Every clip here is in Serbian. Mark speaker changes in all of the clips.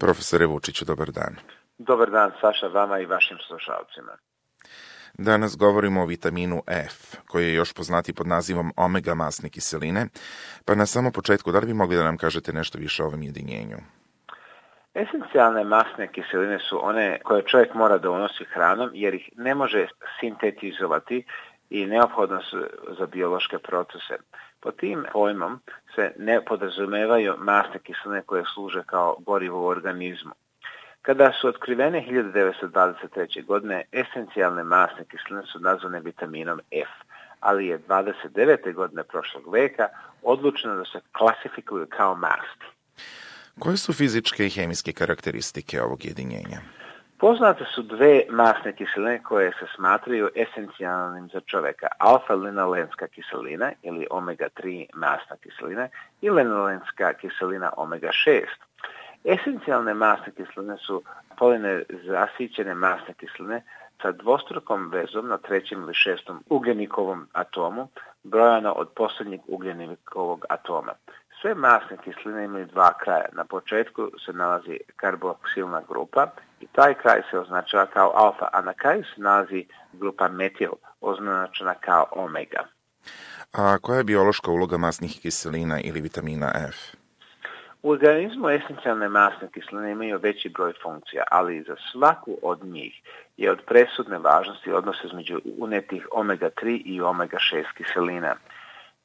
Speaker 1: Profesore Vučiću, dobar dan.
Speaker 2: Dobar dan, Saša, vama i vašim slušalcima.
Speaker 1: Danas govorimo o vitaminu F, koji je još poznati pod nazivom omega masne kiseline, pa na samom početku, da li bi mogli da nam kažete nešto više o ovom jedinjenju?
Speaker 2: Esencijalne masne kiseline su one koje čovjek mora da unosi hranom jer ih ne može sintetizovati i neophodno su za biološke procese. Po tim pojmom se ne podrazumevaju masne kiseline koje služe kao gorivo u organizmu. Kada su otkrivene 1923. godine, esencijalne masne kiseline su nazvane vitaminom F, ali je 29. godine prošlog veka odlučeno da se klasifikuju kao masti.
Speaker 1: Koje su fizičke i hemijske karakteristike ovog jedinjenja?
Speaker 2: Poznate su dve masne kiseline koje se smatraju esencijalnim za čoveka. Alfa-linolenska kiselina ili omega-3 masna kiselina i linolenska kiselina omega-6. Esencijalne masne kiseline su polinezasićene masne kiseline sa dvostrukom vezom na trećem ili šestom ugljenikovom atomu, brojano od posljednjeg ugljenikovog atoma. Sve masne kiseline imaju dva kraja. Na početku se nalazi karboksilna grupa i taj kraj se označava kao alfa, a na kraju se nalazi grupa metil, označena kao omega.
Speaker 1: A koja je biološka uloga masnih kiselina ili vitamina F?
Speaker 2: U organizmu esencijalne masne kiseline imaju veći broj funkcija, ali za svaku od njih je od presudne važnosti odnos između unetih omega-3 i omega-6 kiselina.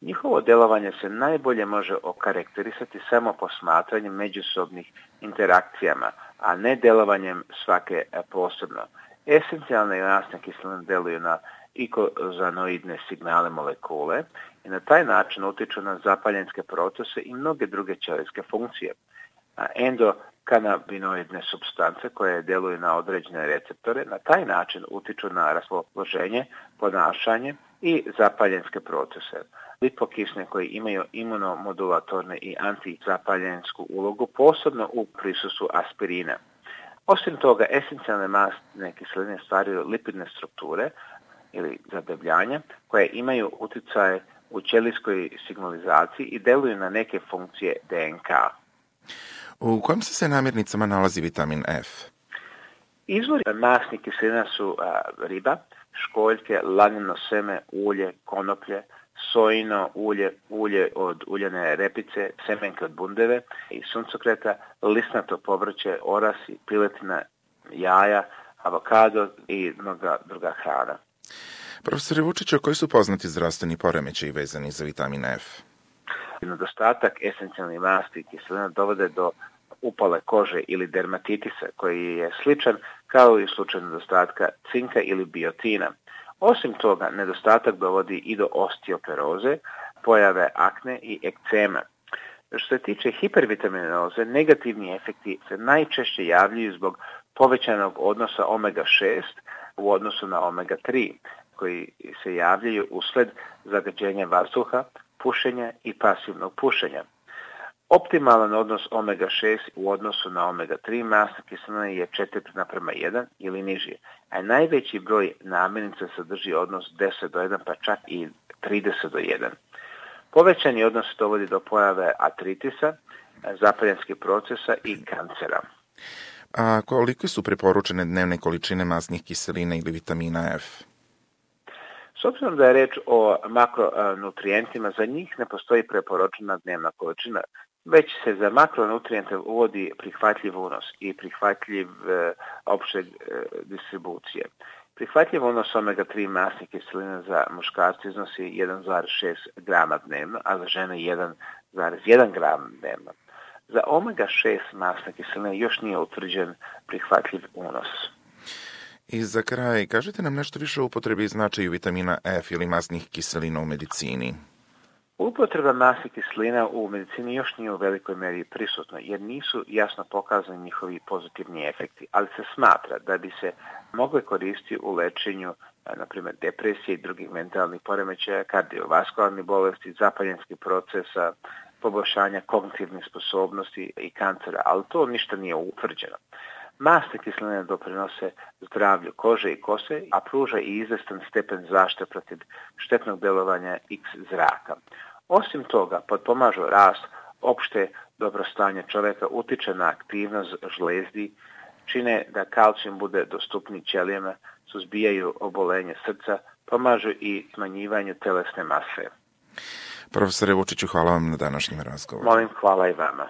Speaker 2: Njihovo djelovanje se najbolje može okarakterisati samo posmatranjem međusobnih interakcijama, a ne djelovanjem svake posebno. Esencijalne masne kiseline djeluju na ikozanoidne signale molekule i na taj način utiču na zapaljenske procese i mnoge druge ćelijske funkcije. Endokanabinoidne supstance koje djeluju na određene receptore na taj način utiču na raspoloženje, ponašanje i zapaljenske procese. Lipokisne koji imaju imunomodulatorne i antizapaljensku ulogu, posebno u prisustvu aspirina. Osim toga, esencijalne masne kiseline stvaraju lipidne strukture ili zadebljanja koje imaju utjecaj u ćelijskoj signalizaciji i deluju na neke funkcije DNK.
Speaker 1: U kojim se namirnicama nalazi vitamin F?
Speaker 2: Izvori masnih kiselina su riba, školjke, lanino seme, ulje, konoplje, sojino ulje, ulje od uljane repice, semenke od bundeve i suncokreta, lisnato povrće, orasi, piletina, jaja, avokado i mnoga druga hrana.
Speaker 1: Profesore Vučiću, koji su poznati zdravstveni poremećaji vezani za vitamin F?
Speaker 2: Nedostatak esencijalnih masti kiselina dovode do upale kože ili dermatitisa koji je sličan kao i u slučaju nedostatka cinka ili biotina. Osim toga, nedostatak dovodi i do osteoporoze, pojave akne i ekcema. Što se tiče hipervitaminoze, negativni efekti se najčešće javljaju zbog povećanog odnosa omega-6 u odnosu na omega-3, koji se javljaju usled zagađenja vazduha, pušenja i pasivnog pušenja. Optimalan odnos omega-6 u odnosu na omega-3 masne kiseline je 4:1 ili niži, a najveći broj namirnica sadrži odnos 10:1 pa čak i 30:1. Povećani odnos dovodi do pojave artritisa, zapaljenskih procesa i kancera.
Speaker 1: A koliko su preporučene dnevne količine masnih kiselina ili vitamina F?
Speaker 2: S obzirom da je reč o makronutrijentima, za njih ne postoji preporučena dnevna količina, već se za makronutrijente uvodi prihvatljiv unos i prihvatljiv opšte distribucije. Prihvatljiv unos omega-3 masnih kiselina za muškarce iznosi 1,6 grama dnevno, a za žene 1,1 gram dnevno. Za omega-6 masne kiseline još nije utvrđen prihvatljiv unos.
Speaker 1: I za kraj, kažete nam nešto više o upotrebi i značaju vitamina F ili masnih kiselina u medicini.
Speaker 2: Upotreba masnih kiselina u medicini još nije u velikoj meri prisutna jer nisu jasno pokazani njihovi pozitivni efekti, ali se smatra da bi se mogle koristiti u lečenju na primjer depresije i drugih mentalnih poremećaja, kardiovaskularnih bolesti, zapaljenskih procesa, poboljšanja kognitivnih sposobnosti i kancera, ali to ništa nije utvrđeno. Masne kiseline doprinose zdravlju kože i kose, a pruža i izvestan stepen zaštite protiv štetnog djelovanja X zraka. Osim toga, potpomažu rast opšte dobro stanje čovjeka utiče na aktivnost žlezdi, čine da kalcijum bude dostupniji ćelijama, suzbijaju obolenje srca, pomažu i smanjivanju telesne mase.
Speaker 1: Profesore Vučiću, hvala vam na današnjem razgovoru.
Speaker 2: Molim, hvala i vama.